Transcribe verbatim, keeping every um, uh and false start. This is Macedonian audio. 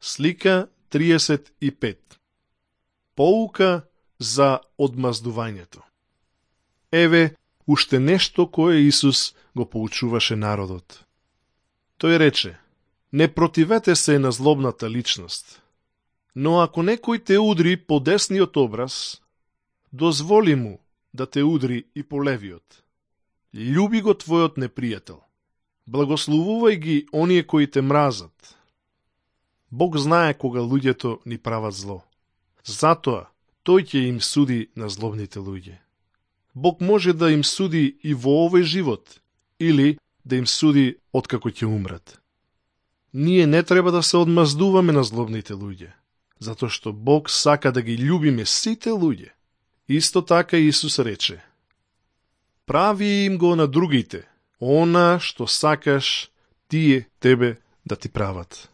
Слика триесет и пет. Поука за одмаздувањето. Еве, уште нешто кое Исус го поучуваше народот. Тој рече: не противете се на злобната личност, но ако некој те удри по десниот образ, дозволи му да те удри и по левиот. Љуби го твојот непријател. Благословувај ги оние кои те мразат. Бог знае кога луѓето ни прават зло. Затоа тој ќе им суди на злобните луѓе. Бог може да им суди и во овој живот, или да им суди откако ќе умрат. Ние не треба да се одмаздуваме на злобните луѓе, затоа што Бог сака да ги љубиме сите луѓе. Исто така Исус рече: прави им го на другите, она што сакаш тие тебе да ти прават.